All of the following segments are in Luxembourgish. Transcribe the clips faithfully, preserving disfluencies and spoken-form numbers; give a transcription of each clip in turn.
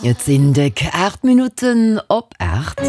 Et sinn déck aacht Minutten op aacht.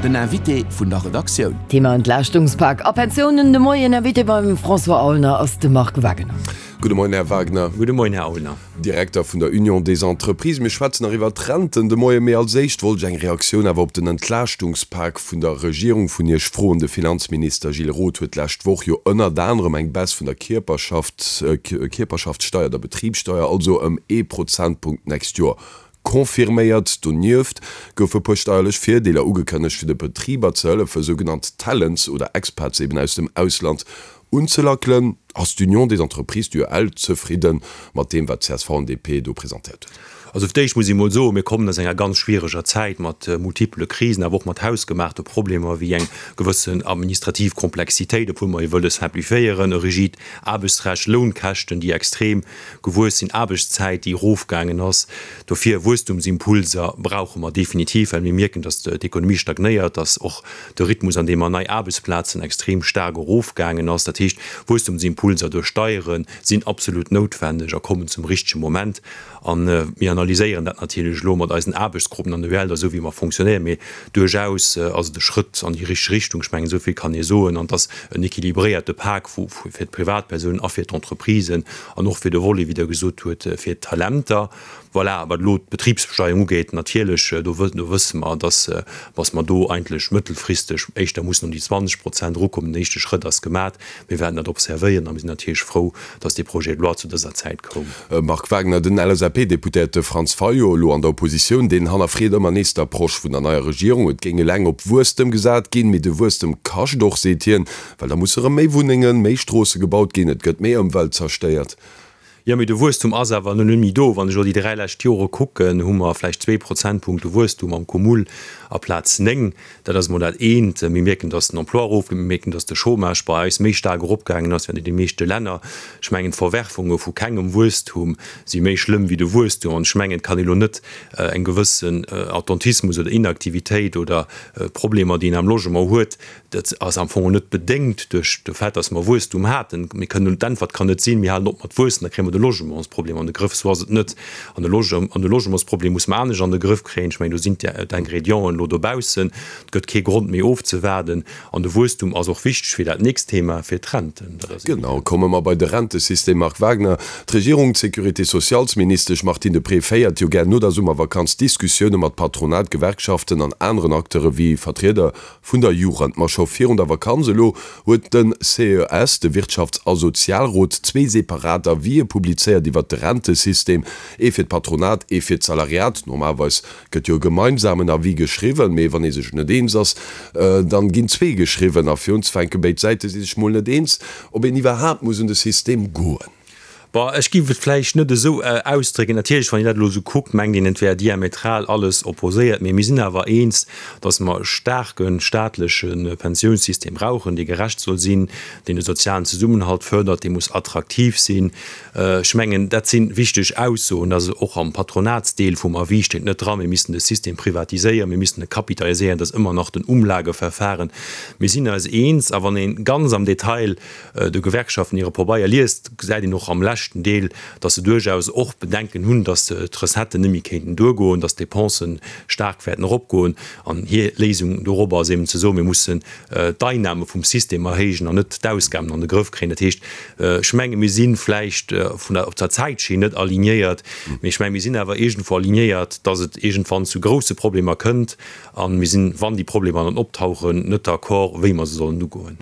Den Invité vun der Redaktioun. Thema Entlaaschtungspak a Pensiounen de Moien. Invité beim François Aulner ass de Marc Wagener. Gudde Moien, Här Wagner. Gudde Moien, Här Aulner. Direkter vun der Union des Entreprises. Mir schwätzen nach iwwert d'Renten de Moien, mee als éischt wollt ech eng Reaktioun awer op den Entlaaschtungspak vun der Regierung vun Iech froen. De Finanzminister Gilles Roth huet d'lescht Woch jo ënnert anerem eng Baisse vun der Kierperschaft, Kierperschaftssteier, der Betribssteier also ëm ee Prozentpunkt d'nächst Joer confirméiert. Donieft goufe puer steierlech Virdeeler ugekënnegt, fir de Betriber ze hëllefen, sougenannt Talents oder Expats eben aus dem Ausland unzelackelen. Ass d'Union des Entreprises, d'U E L, zefridde mat deem, wat C S V an D P do presentéiert huet? Also fir d'éischt muss ee mol soen, mir kommen aus enger ganz schwiereger Zäit mat multipele Krisen, awer och mat hausgemaachte Problemer wéi eng gewëssen administrativ Komplexitéit, obwuel mer jo wëlle simplifiéieren, e rigid Aarbechtsrecht, Lounkäschten, déi extrem gewuess sinn, Aarbechtszäit, déi erofgaangen ass. Dofir Wuesstumsimpulser brauche mer definitiv, well mir mierken, dass d'Ekonomie stagnéiert, dass och de Rhythmus, an deem mer nei Aarbechtsplazen extrem staark erofgaangen ass. Dat heescht, Wuesstumsimpulser duerch Steiere sinn absolut noutwendeg a kommen zum richtege Moment. An mir analyséieren dat natierlech elo mat eisen Aarbechtsgruppen an der U E L, esou wéi mer fonctionnéieren. Mee duerchaus ass et e Schrëtt an déi richteg Richtung. Ech mengen, esou vill kann ee soen. An et ass en équilibréierte Pak vu, fir d'Privatpersounen a fir d'Entreprisen an och fir de Volet, wéi Der gesot hutt, fir d'Talenter. Voilà, wat elo d'Betribsbesteuerung ugeet, natierlech, do wë-, do wësse mer, dass, dass mer do eigentlech mëttelfristeg éischter mussen um déi zwanzeg Prozent erukommen. Den éischte Schrëtt ass gemat. Mir werden dat observéieren a mir sinn natierlech frou, dass dee Projet de loi zu dëser Zäit koum. Marc Wagner, den L S A P-Deputéierte Franz Fayot, elo an der Oppositioun, deen hannerfreet ëmmer nees d'Approche vun der neier Regierung. Et géing eleng op Wuesstem gesat ginn, mee de Wuesstem kascht och, seet hien, well da musse erëm méi Wunnengen, méi Stroosse gebaut ginn, et gëtt méi Ëmwelt zerstéiert. Jo, mee de Wuesstum ass awer net méi do. Wann ech elo déi dräi lescht Jore kucken, hu mer vläicht zwee Prozentpunkte Wuesstum am Cumul aplaz néng. Dat ass emol dat eent. Mir mierken, dass den Emploi erofgeet, mir mierken, dass de Chômage bei eis méi staark eropgaangen ass wéi an de meeschte Länner. Ech mengen, d'Verwerfunge vu kengem Wuesstum si méi schlëmm wéi de Wuesstum. An ech mengen, et kann ee lo net eng gewëssen Attentismus oder Inaktivitéit oder Problemer, déi een am Logement huet, dat ass am Fong net bedéngt duerch de Fait, dass mer Wuesstum haten. Mir kënnen, d'Äntwert kann net sinn, mir halen op mat wuessen, da kréie mer de Logementsproblem an de Grëff. So ass et net. An de Loge-, an de Logementsproblem muss man anescht an de Grëff kréien. Ech mengen, do sinn d'Ingredienten elo dobaussen. Et gëtt kee Grond méi ofzewaarden. An de Wuesstum ass och wichteg fir dat nächst Thema, fir d'Renten. Dat ass Genau, komme mer bei de Rentesystem, Marc Wagner. D'Regierung, d'Sécurité socialsministesch Martine Deprez féiert jo gär no der Summervakanz Diskussioune mat Patronat, Gewerkschaften an aneren Acteure wéi Vertrieder vun der Jugend. Ma scho virun der Vakanz elo huet den C E S, de Wirtschafts- a Sozialrot, zwee separat Avisë publizéiert iwwer de Rentesystem, ee fir d'Patronat, ee fir d'Salariat. Normalerweis gëtt jo e gemeinsamen Avis geschriwwen, mee wann ee sech net eens ass, dann ginn zwee geschriwwen. A fir unzefänken, béid Säite si sech mol net eens, ob een iwwerhaapt muss un de System goen. Bon, ech géif et vläicht net esou ausdrécken. Natierlech, wann een dat elo esou kuckt, mengt een, et wär diametral alles opposéiert. Mee mir sinn awer eens, dass mer e staarke staatleche Pensiounssystem brauchen, dee gerecht soll sinn, deen de sozialen Zesummenhalt fërdert, dee muss attraktiv sinn. Ech mengen, dat sinn wichteg Aussoen, dass och am Patronatsdeel vum Avis steet net dran, mir missten de System privatiséieren, mir missten e kapitaliséieren, dat ass ëmmer nach den Umlageverfahren. Mir sinn eis eens, a wann een ganz am Detail de Gewerkschaften hire Pabeier liest, gesäit een och am leschten Deel, dass se duerchaus och Bedenken hunn, dass d'Recetten net méi kéinten duergoen, dass d'Depensen staark wäerten eropgoen. An hir Léisung dorobber ass eben ze soen, mir mussen d'Einnahme vum System erhéijen an net d'Ausgaben an de Grëff kréien. Dat heescht, ech menge, mir sinn vläicht vun der, op der Zäitschinn net alignéiert, mee ech menge, mir sinn awer iergendwou alignéiert, dass et iergendwann zu grousse Problemer kënnt. An mir sinn, wann déi Problemer dann optauchen, net d'accord, wéi mer se sollen ugoen.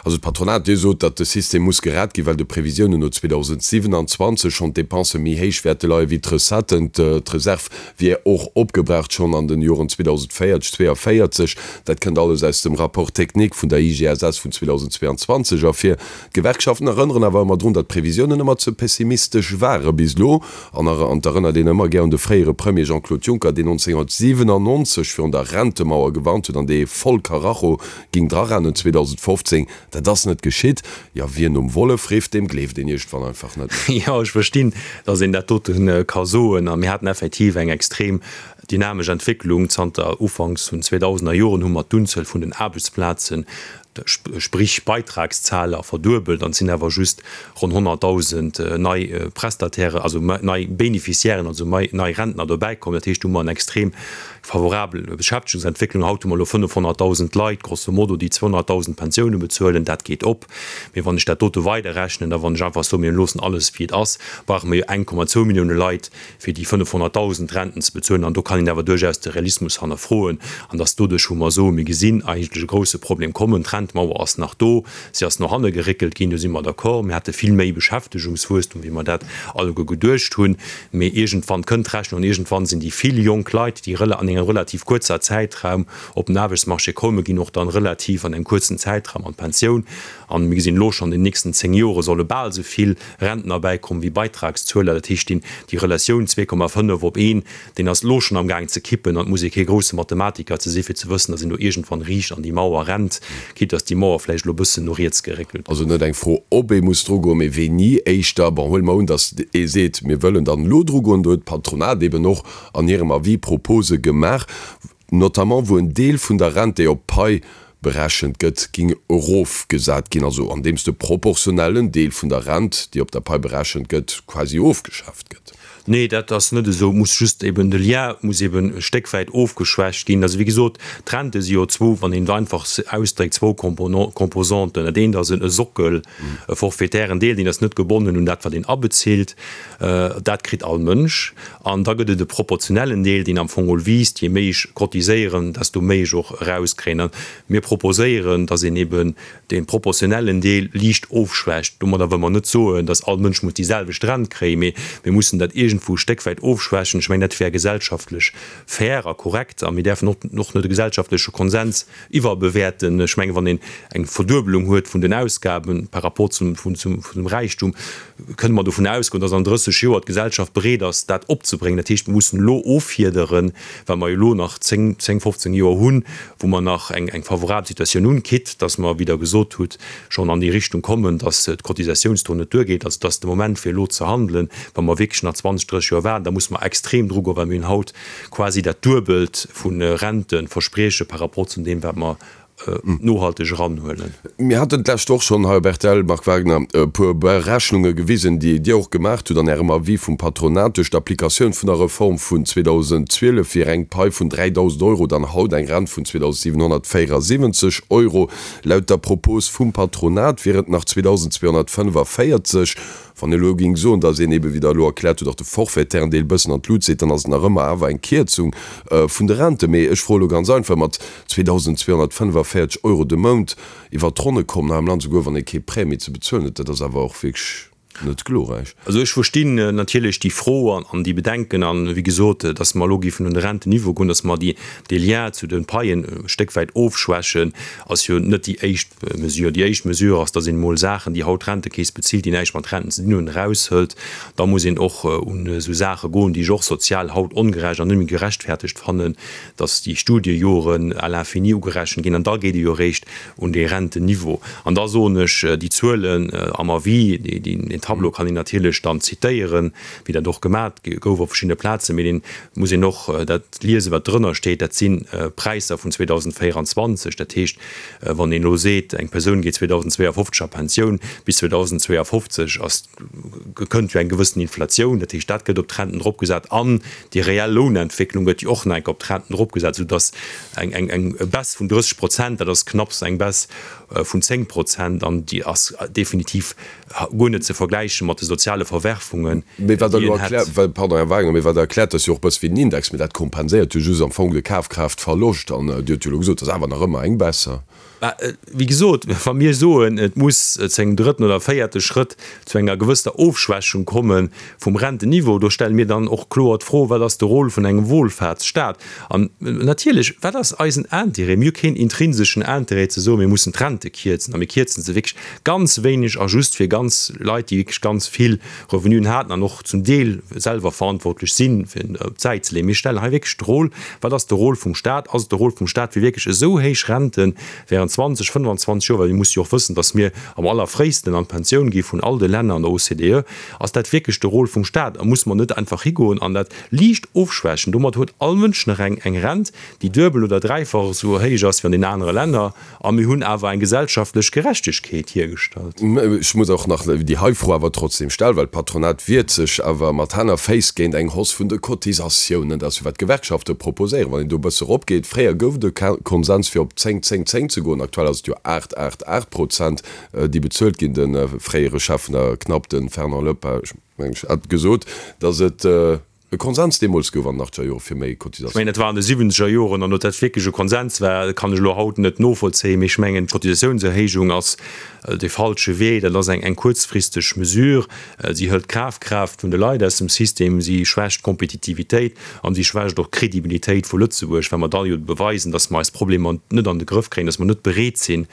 Also d'Patronat, Dir sot, datt de System muss gerett ginn, well de Previsiounen no zweitausendsiebenundzwanzig schonn d'Depense méi héich wäerte leien wéi d'Recetten. D'Reserv wier och opgebraucht schonn an den Joren zweitausendvéierzeg, zweiundvierzig. Dat kënnt alles aus dem Rapport technique vun der I G S S vun zweitausendzweiundzwanzig ervir. D'Gewerkschaften erënneren awer ëmmer drun, datt d'Previsiounen ëmmer ze pessimistesch ware bis elo. An er-, erënnert een ëmmer gär un de fréiere Premier Jean-Claude Juncker, deen neunzehnhundertsiebenundneunzig virun der Rentemauer gewarnt huet, an dee voll Karacho ging drarennen zweitausendfünfzehn. Dat ass net geschitt. Ja, wien um Wollef rifft, dem gleeft een irgendwann einfach net. Ja, ech verstinn, dass een dat doten ka soen. A mir haten effektiv eng extrem dynamesch Entwicklung. Zanter Ufanks vun zweitausender Joren hu mer d'Unzuel vun den Aarbechtsplazen sprich Beitragszahler, verduebelt, an et sinn awer just ronn honnertdausend nei Prestatairen, also nei Bénéficiairen, also nei Rentner dobäikomm. Dat heescht, do hu mer eng extrem favorabel Beschäftegungsentwécklung. Haut hu mer elo fënnefhonnertdausend Leit, grosso modo, déi zweihonnertdausend Pensioune bezuelen. Dat geet op. Mee wann ech dat dote weiderrechnen a wann ech einfach soen, mir loossen alles wéi et ass, brauche mer jo eng Komma zwou Millioune Leit, fir déi fënnefhonnertdausend Renten ze bezuelen. An do kann een awer duerchaus de Realismus hannerfroen. An dass doduerch, wou mer soen, mir gesinn eigentlech e grouse Problem kommen, d'Rentemauer ass nach do, si ass no hanne geréckelt ginn, do si mer d'accord. Mir hate vill méi Beschäftegungswuesstum, wéi mer dat alleguer geduecht hunn. Mee iergendwann kënnt d'Rechnung an iergendwann sinn déi vill jonk Leit, déi an engem relativ kuerzer Zäitraum op den Aarbechtsmarché kommen, ginn och dann relativ an engem kuerzen Zäitraum an d'Pensioun. An mir gesinn elo schonn, an den nächsten zéng Jore solle bal esou vill Rentner bäikommen wéi Beitragszueler. Dat heescht, déi Relatioun zwee Komma fënnef op een, deen ass elo schonn amgaang ze kippen. An et muss ee kee grousse Mathematiker ze si fir ze wëssen, datt een do iergendwann riicht an déi Mauer rennt, quitte datt déi Mauer vläicht elo e bëssen no riets geréckelt Also net eng Fro, ob ee muss drugoen, mee wéini éischter. Bon, huele mer un, datt ee seet, mir wëllen dann elo drugoen. Do huet d'Patronat eben och an hirem Avis Propose gemaach, notamment wou en Deel vun der Rent, déi op d'Pai berechent gëtt, ging erofgesat ginn, also andeems de proportionellen Deel vun der Rent, déi op der Pai berechent gëtt, quasi ofgeschaaft gëtt. Nee, dat ass net esou. Et muss just eben, de Lien muss eben e Stéck wäit ofgeschwächt ginn. Also wéi gesot, d'Rente si jo zwou, wann een et einfach ausdréckt, zwou Composanten. Dat eent ass e Sockel, e forfaitären Deel, deen ass net gebonnen un dat, wat een abezilt. Dat kritt all Mënsch. An da gëtt et e proportionellen Deel, deen am Fong geholl wiisst, je méi ech cotiséieren, desto méi ech och erauskréien. A mir proposéieren, dass een eben dee proportionellen Deel liicht ofschwächt. Domadder wëlle mer net soen, dass all Mënsch muss déi selwecht Rent kréien, mee mir mussen dat iergendwou e Stéck wäit ofschwächen. Ech mengen, dat wär gesellschaftlech fair a korrekt. A mir däerfen och net de gesellschaftleche Konsens iwwerbewäerten. Ech mengen, wann een eng Verduebelung huet vun den Ausgabe par rapport zum zum Räichtum, kënne mer dovun ausgoen, dass an drësseg Joer d'Gesellschaft bereet ass, dat opzebréngen. Dat heescht, mir mussen elo offiederen, well mer jo elo nach zéng, zéng, fofzéng Joer hunn, wou mer nach eng eng favorabel Situatioun hunn, quitte dass mer, wéi Der gesot hutt, schonn an déi Richtung kommen, dass d'Cotisatiounstaux net duergeet. Also, et ass de Moment, fir elo ze handelen. Wa mer wierklech nach zwanzeg, drësseg Joer waarden, da musse mer extrem drugoen, well mir hunn haut quasi dat Duebelt vu Renteversprieche par rapport zu deem, wat mer nohalteg eranhuelen. Mir haten d'lescht Woch schonn hei op rtl, Marc Wagner, e puer Berechnunge gewisen, déi Dir och gemaacht hutt an Ärem Avis vum Patronat. Duerch d'Applikatioun vun der Reform vun zweedausendzwielef wier eng Pai vun dräidausend Euro dann haut eng Rent vun zweedausensiwenhonnertvéierasiwwenzeg Euro. Laut der Propos vum Patronat wier et nach zweedausendzweehonnertfënnefavierzeg. Wann ee elo géing soen, datt een eebe, wéi Der elo erkläert hutt, och de forfaitären Deel e bëssen an d'Lut seet, dann ass et nach ëmmer awer eng Kierzung vun de Renten. Mee ech froe elo ganz einfach, Mat zweedausendzweehonnertfënnefavierzeg Euro de Mount iwwert d'Ronne kommen hei am Land, souguer wann ee kee Prêt méi ze bezuelen huet, dat ass awer och wierklech net glorräich. Also ech verstinn natierlech déi Fro an déi Bedenken. An, wéi gesot, datt mer elo géifen un de Rentenniveau goen, datt mer déi, dee Lien zu de Paien e Stéck wäit ofschwächen, ass jo net déi éischt Mesure. Déi éischt Mesure ass, datt een emol Saachen, déi haut d'Rentekeess bezilt, déi näischt mat Renten ze dinn hunn, eraushëlt. Da muss een och un esou Saache goen, déi ech och sozial haut ongerecht an net méi gerechtfertegt fannen, datt déi Studiejoren à l'infini ugerechent ginn. An da geet ee jo eréischt un dee Rentenniveau. An da soen ech, déi Zuelen am Avis, deen Tableau kann een natierlech dann zitéieren, wéi dat och gemat gouf op verschiddene Plazen, mee dee muss een och dat liesen, wat drënner steet. Dat si Präisser vun zweedausenvéieranzwanzeg. Dat heescht, wann een elo seet, eng Persoun geet zweedausendzweeafofzeg a Pensioun, bis zweedausendzweeafofzeg ass, kënnt jo eng gewëssen Inflatioun. Dat heescht, dat gëtt op d'Renten dropgesat an déi reell Lounentwécklung gëtt jo och nach eng Kéier op d'Renten dropgesat, soudass eng, eng, eng Baisse vun drësseg Prozent, dat ass knapps eng Baisse vun zéng Prozent an déi ass definitiv guer net ze vergläiche mat de soziale Verwerfungen, Mee wat Der déi elo een hätt. erkläert, pardon, Här Wagner, mee wat Der erkläert, ass jo och e bësse wéi den Index, mee dat kompenséiert jo just am Fong de Kafkraaftverloscht. An Dir hutt jo elo gesot, et ass awer nach ëmmer eng Baisse. Mä wéi gesot, wa mir soen, et muss zu engem drëtten oder véierte Schrëtt zu enger gewësster Ofschwächung komme vum Rentenniveau, do stelle mir dann och kloer d'Fro, Wat ass de Rôle vun engem Wohlfahrtsstaat? An natierlech, wat ass eisen Intérêt? Mir hu keen intrinseschen Intérêt ze soen, mir mussen d'Rente kierzen a mir kierzen se wierklech ganz wéineg a just fir ganz Leit, déi wierklech ganz vill Revenuen haten an och zum Deel selwer verantwortlech sinn, fir op d'Säit ze leeën. Mir stellen hei wierklech de Rôle, Wat ass de Rôle vum Stat? Ass et de Rôle vum Stat, fir wierklech esou héich Rente während zwanzeg, fënnefanzwanzeg Joer, well mir musse jo och wëssen, datt mir am allerfréisten an d'Pensioun gi vun all de Länner an der O C D E, ass dat wierklech de Rôle vum Stat? A muss mer net einfach higoen an dat liicht ofschwächen? Domat huet all Mënsch nach eng eng Rent, déi duebel oder dräifach esou héich ass wéi an den anere Länner, a mir hunn awer eng gesellschaftlech Gerechtegkeet hiergestallt. Ech muss och nach déi hei Fro awer trotzdem stellen, well d'Patronat wiert sech awer mat Hänn a Féiss géint eng Hausse vun de Cotisatiounen. Dat ass jo wat d'Gewerkschafte proposéieren, wann een do e bësse eropgeet. Fréier gouf et e Konsens fir op zéng, zéng, zéng ze goen. Aktuell ass et jo aacht, aacht, aacht Prozent, déi bezuelt ginn. De fréiere Chef vun der CNAP, de Fernand Lepage, meng ech, hat gesot, datt et e Konsens deemools gouf an den achtzeger Jore fir méi Ech mengen, dat war an de siwwenzeger Joren, an ob dat wierklech e Konsens war, kann ech elo haut net novollzéien. Mee ech mengen, d'Cotisatiounserhéijung ass dee falsche Wee. Dat ass eng kuerzfristeg Mesure. Si hëlt d'Kafkraaft vun de Leit aus dem System, si schwächt d'Kompetitivitéit an si schwächt och d'Credibilitéit vu Lëtzebuerg, well mer da jo beweisen, dass mer eis Problemer net an de Grëff kréien, dass mer net bereet sinn,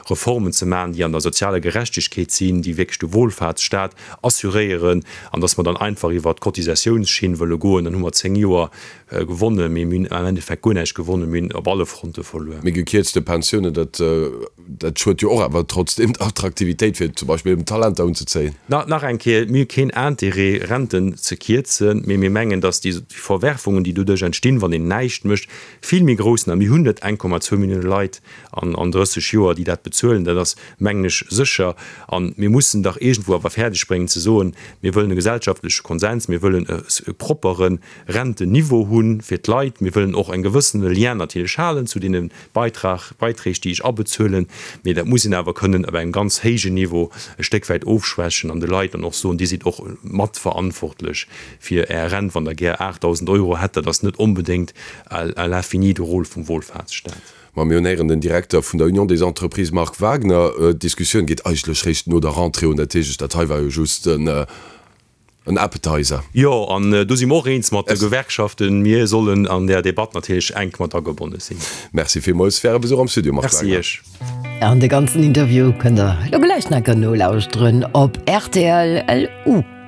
Reformen ze maachen, déi an der sozialer Gerechtegkeet sinn, déi wierklech de Wohlfahrtsstaat assuréieren, an dass mer dann einfach iwwert d'Cotisatiounsschinn wëlle goen, dann hu mer zéng Joer gewonnen, mee mir hunn am Endeffekt guer näischt gewonnen, mir hunn op alle Fronte verluer. Mee gekierzte Pensiounen, dat dat schuet jo och awer trotzdem der Attraktivitéit, fir zum Beispill eben Talenter unzezéien. Nach eng Kéier, Mir hu keen Intérêt, Renten ze kierzen, mee mir mengen, dass déi Verwerfungen, déi doduerch entstinn, wann een näischt mécht, vill méi grouss sinn. A mir hunn net eng Komma zwou Millioune Leit an drësseg Joer, déi dat bezuelen, dat ass, mengen ech, sécher. A mir mussen dach iergendwou awer fäerdegbréngen ze soen, mir wëllen e gesellschaftleche Konsens, mir wëllen e proppere Rentenniveau hu fir d'Leit, mir wëllen och e gewëssene Lien natierlech halen zu deene Beitrag, Beiträg, déi ech abezuelen, mee dat muss een awer kënnen op engem ganz héijen Niveau e Stéck wäit ofschwächen an de Leit dann och soen, Dir sidd och matverantwortlech fir Är Rent, wann Der gär aachtdausend Euro hätt. Dat ass net onbedéngt à l'infini de Rôle vum Wohlfahrtsstaat. Ma mir hunn héieren den Direkter vun der Union des Entreprises Marc Wagner. D'Diskussioun geet eigentlech réischt no der Rentrée un. Dat heescht, dat hei war jo just en Appetizer. Jo, an do si mer och eens mat de Gewerkschaften. Mir sollen an där Debatt natierlech enk mat agebonne sinn. Merci villmools fir Äre Besuch am Studio, Marc Wagner. Merci Iech. An de ganzen Interview kënnt der elo gläich nach nolauschteren op rtl punkt lu.